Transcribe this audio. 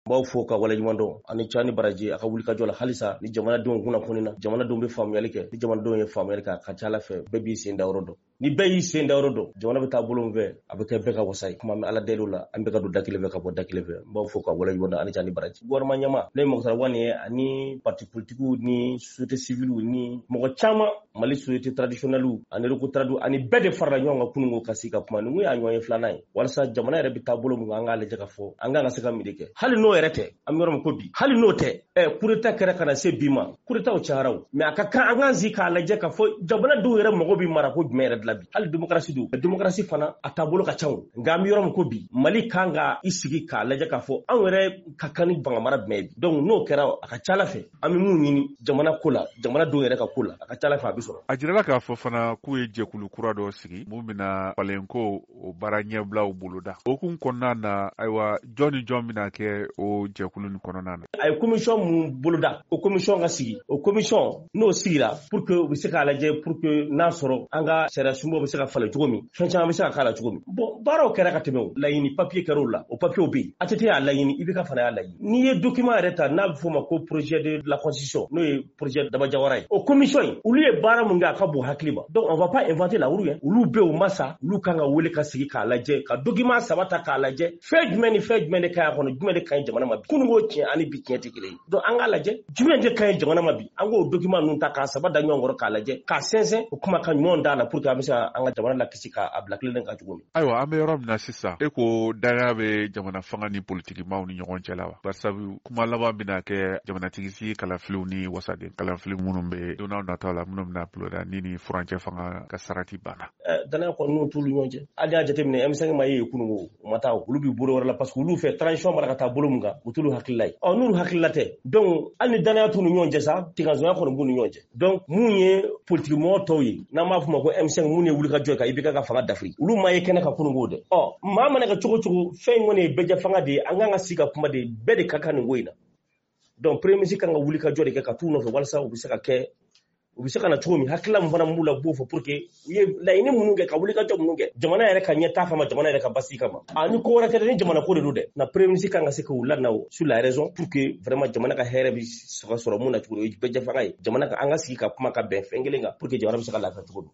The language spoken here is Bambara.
N b'aw fo ka waleɲuman dɔn ani ca ni baraji a ka wulikajɔ la halisa ni jamanadenw kunnafoni na. Jamanadenw bɛ faamuyali kɛ. Ni jamanadenw ye faamuyali kɛ, a ka ca ala fɛ, bɛɛ b'i sen da yɔrɔ dɔn. Ni bɛɛ y'i sen da yɔrɔ dɔn, jamana bɛ taa bolo min fɛ, a bɛ kɛ bɛɛ ka wasa ye. Kuma bɛ Ala deli la, an bɛ ka don da kelen fɛ ka bɔ da kelen fɛ. N b'aw fo ka waleɲuman dɔn ani ca ni baraji. Gouvernement ɲɛmaa, ne ye Moctar Ouane ye, ani parti politikiw ni société civile ni mɔgɔ caman, Mali société traditionnelle ani recotradu ani bɛɛ de farala ɲɔgɔn kan kununko ka sigi ka kuma. Nin y'a ɲɔgɔn ye filanan ye, walasa jamana yɛrɛ bɛ taa bolo min kan, an k'a lajɛ ka fɔ an kan ka se ka min de kɛ. Hali n'o yɛrɛ tɛ, an bɛ yɔrɔ min ko bi, hali n'o tɛ, coup d'état kɛra ka na se bi ma, coup d'état cayara o, mais a ka kan an k'an sigi k'a lajɛ ka fɔ jamanadenw yɛrɛ mago bɛ mara ko jumɛn yɛrɛ de la bi. Hali démocratie don, démocratie fana a taabolo ka ca o, nka an bɛ yɔrɔ min ko bi, Mali kan ka i sigi k'a lajɛ k'a fɔ anw yɛrɛ ka kan ni fanga mara jumɛn ye bi. Donc n'o kɛra, a ka ca ala fɛ, an bɛ mun ɲini jamana ko la, jamanadenw yɛrɛ ka ko la, a ka ca ala fɛ, a bɛ sɔrɔ. A jirala k'a fɔ fana k'u ye jɛkulu kura dɔ sigi mun bɛna falenko o baara ɲɛbilaw boloda. O kun kɔnɔna na, ayiwa, jɔn ni jɔn bɛna kɛ o jɛkulu nin kɔnɔna na? A ye commission mun boloda, o commission ka sigi. O commission n'o sigira, pour que u bɛ se k'a lajɛ, pour que n'a sɔrɔ an ka sariya sunbaw bɛ se ka falen cogo min, fɛn caman bɛ se ka k'a la cogo min. Bon, baaraw kɛra ka tɛmɛ. O laɲini papier kɛra o la, o papier bɛ yen. ATT y'a laɲini, IBK fana y'a laɲini. N'i ye document yɛrɛ ta n'a bɛ f'o ma ko projet de la constitution, n'o ye projet Daba Jawara ye, o commission in, olu ye baara mun kɛ, a ka bon hakili ma. Donc on va pas inventer la roue hein. Olu bɛ, o ma sa, olu kan ka wele ka sigi k'a lajɛ, ka document saba ta k'a lajɛ, fɛn jumɛn ni fɛn jumɛn de ka ɲi a kɔnɔ, jumɛn de ka ɲi jamana ma bi. Kununko tiɲɛ ani bi tiɲɛ tɛ kelen ye. Donc an k'a lajɛ jumɛn de ka ɲi jamana ma bi. An k'o document ninnu ta k'a saba da ɲɔgɔn kɔrɔ k'a lajɛ, k'a sɛnsɛn, o kuma ka ɲumanw d'a la, pour que an bɛ se ka an ka jamana lakisi k'a bila tilennen kan cogo min. Ayiwa, an bɛ yɔrɔ min na sisan, e ko danaya bɛ jamana fanga ni politikimaw ni ɲɔgɔn cɛ la wa? Barisabu kuma laban bɛna kɛ jamanatigi sigi kalafiliw ni wasaden kalafili minnu bɛ don n'a nataw la, minnu bɛna buloda ni furancɛ fanga ka sarati banna. Danaya kɔni n'u t'olu ɲɔgɔn cɛ. Hali y'a jateminɛ, M5 ma ye kununko, u ma taa, olu b'i bolo wɛrɛ la, parce que olu fɛ, transition mana ka taa bolo min kan, u t'olu hakilila ye. Ɔ, n'olu hakilila tɛ, donc hali ni danaya t'u ni ɲɔgɔn cɛ sa, tigasonya kɔni b'u ni ɲɔgɔn cɛ. Donc mun ye politiki mɔgɔ tɔw ye, n'an b'a fɔ ma ko M5, mun ye wulikajɔ ye ka IBK ka fanga dafiri, olu ma ye kɛnɛ ka kununko dɛ. Ɔ, maa mana kɛ cogo cogo, fɛn in kɔni ye bɛɛjɛ fanga de ye. An kan ka sigi ka kuma de, bɛɛ de ka kan nin ko in na. Donc premier ministre kan ka wulikajɔ de kɛ ka t'u nɔfɛ, walasa u bɛ se ka kɛ, u bɛ se ka na cogo min, hakilila min fana b'u la, u b'o fɔ, pour que u ye laɲini minnu kɛ, ka wulikajɔ minnu kɛ jamana yɛrɛ ka ɲɛtaa kama, jamana yɛrɛ ka basigi kama. A ni ko wɛrɛ tɛ dɛ, ni jamana ko de don dɛ. Na premier ministre kan ka se k'u lana sur la raison, pour que vraiment jamana ka hɛrɛ bɛ sɔrɔ mun na cogo min, o ye bɛɛ jɛ fanga ye. Jamana ka, an ka sigi ka kuma ka bɛn fɛn kelen kan, pour que jamana bɛ se ka lafiya cogo min.